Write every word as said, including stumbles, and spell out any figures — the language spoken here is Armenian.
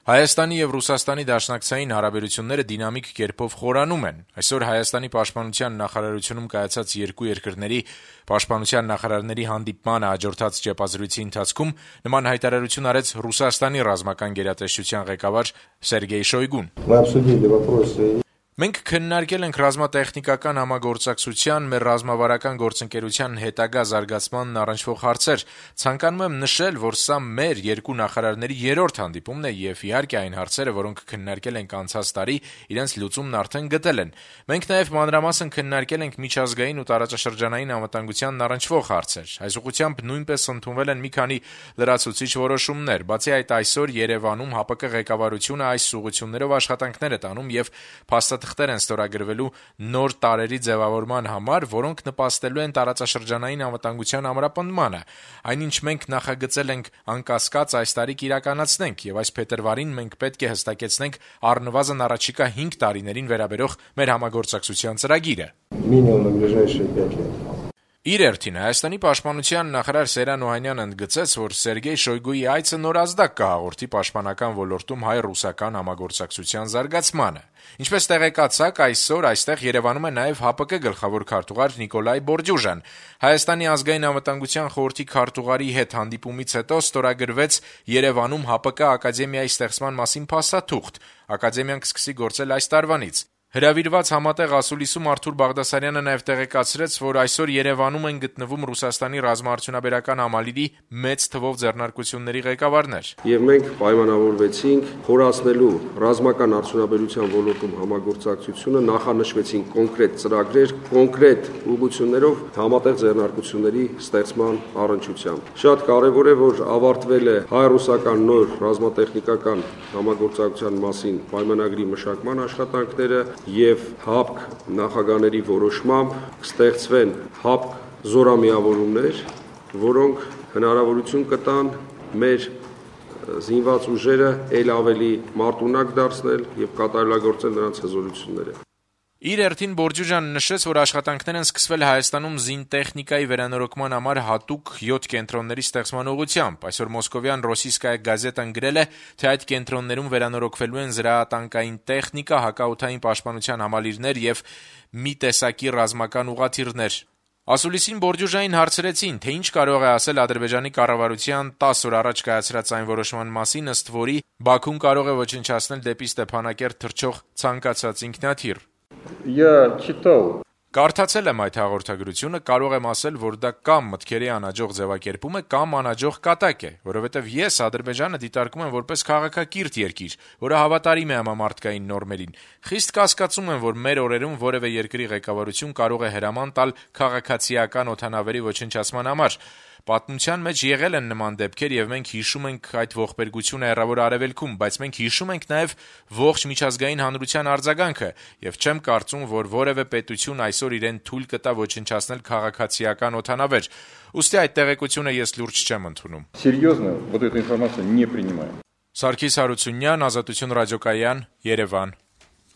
Հայաստանի եւ Ռուսաստանի դաշնակցային հարաբերությունները դինամիկ կերպով խորանում են։ Այսօր Հայաստանի պաշտպանության նախարարությունում կայացած երկու երկրների պաշտպանության նախարարների հանդիպմանը հաջորդած ճեպազրույցի ընթացքում նման հայտարարություն արեց Ռուսաստանի ռազմական գերատեսչության ղեկավար Սերգեյ Շոյգուն։ Մենք քննարկել ենք ռազմատեխնիկական համագործակցության, մեր ռազմավարական գործընկերության հետագա զարգացմանն առնչվող հարցեր։ Ցանկանում եմ նշել, որ սա մեր երկու նախարարների երրորդ հանդիպումն է եւ իհարկե այն հարցերը, որոնք քննարկել ենք անցած տարի, իրենց լուծումն արդեն գտել են։ Մենք նաեւ մանրամասն քննարկել ենք միջազգային ու տարածաշրջանային անվտանգությանն առնչվող հարցեր։ Այս ուղղությամբ նույնպես ընդունվել են մի քանի լրացուցիչ որոշումներ։ Բացի այդ, այսօր Երևանում ՀԱՊԿ ղեկավարությունը այս ուղղություններով աշխատանքներ է տանում եւ փաստաթղթեր են ստորագրվելու նոր տարերի ձևավորման համար, որոնք նպաստելու են տարածաշրջանային անվտանգության ամրապնդմանը։ Այնինչ մենք նախագծել ենք անկասկած այս տարի կիրականացնենք եւ այս փետրվարին մենք պետք է հստակեցնենք առնվազն առաջիկա հինգ տարիներին վերաբերող մեր համագործակցության ծրագիրը։ Իր հերթին Հայաստանի պաշտպանության նախարար Սերան Օհանյանը ընդգծեց, որ Սերգեյ Շոյգուի այցը նորազդակ կհաղորդի պաշտպանական ոլորտում հայ-ռուսական համագործակցության զարգացմանը։ Ինչպես տեղեկացաք, այսօր այստեղ Երևանում է նաև ՀԱՊԿ գլխավոր քարտուղար Նիկոլայ Բորդյուժան։ Հայաստանի ազգային անվտանգության խորհրդի քարտուղարի հետ հանդիպումից հետո ստորագրվեց Երևանում ՀԱՊԿ ակադեմիայի ստեղծման մասին փաստաթուղթ։ Ակադեմիան կսկսի գործել այս տարվանից։ Հրավիրված համատեղ ասուլիսում Արթուր Բաղդասարյանը նաև տեղեկացրեց, որ այսօր Երևանում են գտնվում Ռուսաստանի ռազմաարդյունաբերական համալիրի մեծ թվով ձեռնարկությունների ղեկավարներ։ Եվ մենք պայմանավորվեցինք խորացնելու ռազմական արդյունաբերության ոլորտում համագործակցությունը, նախանշվեցին կոնկրետ ծրագրեր, կոնկրետ ուղղություններով համատեղ ձեռնարկությունների ստեղծման առնչությամբ։ Շատ կարևոր է, որ ավարտվել է հայ-ռուսական նոր ռազմատեխնիկական համագործակցության մասին պայմանագրի մշակման աշխատանքները եւ ՀԱՊԿ նախագահների որոշմամբ կստեղծվեն ՀԱՊԿ զորամիավորումներ, որոնք հնարավորություն կտան մեր զինված ուժերը ել ավելի մարտունակ դարձնել եւ կատարելագործել նրանց հզորությունները։ Իր հերթին Բորդյուժանը նշեց, որ աշխատանքներ են սկսվել Հայաստանում զինտեխնիկայի վերանորոգման համար հատուկ յոթ կենտրոնների ստեղծման ուղղությամբ։ Այսօր Մոսկովյան Ռոսիյսկայա գազետան գրել է, թե այդ կենտրոններում վերանորոգվելու են զրահատանկային տեխնիկա, հակաօդային պաշտպանության համալիրներ եւ մի տեսակի ռազմական ուղղաթիռներ։ Ասուլիսին Բորդյուժային հարցրեցին, թե ինչ կարող է ասել Ադրբեջանի կառավարության տասը օր առաջ կայացրած այն որոշման մասին, ըստ որի Բաքուն կարող է ոչնչացնել դեպի Ստեփանակերտ թռչող ցանկացած ինքնաթիռ։ Կարդացել եմ այդ հաղորդագրությունը, կարող եմ ասել, որ դա կամ մտքերի անհաջող ձևակերպում է, կամ անհաջող կատակ է, որովհետև ես Ադրբեջանը դիտարկում եմ որպես քաղաքակիրթ երկիր, որը հավատարիմ է համամարտկային նորմերին։ Խիստ կասկածում եմ, որ մեր օրերում որևէ երկրի ղեկավարություն կարող է հրաման տալ քաղաքացիական օդանավերի ոչնչացման համար։ Պատմության մեջ եղել են նման դեպքեր եւ մենք հիշում ենք այդ ողբերգությունը Հեռավոր Արևելքում, բայց մենք հիշում ենք նաեւ ողջ միջազգային հանրության արձագանքը եւ չեմ կարծում, որ որևէ պետություն այսօր իրեն թույլ կտա ոչնչացնել քաղաքացիական օդանավեր։ Ուստի այդ տեղեկությունը ես լուրջ չեմ ընդունում։ Սերիոզно, вот эту информацию не принимаем. Սարգիս Հարությունյան, Ազատություն ռադիոկայան, Երևան։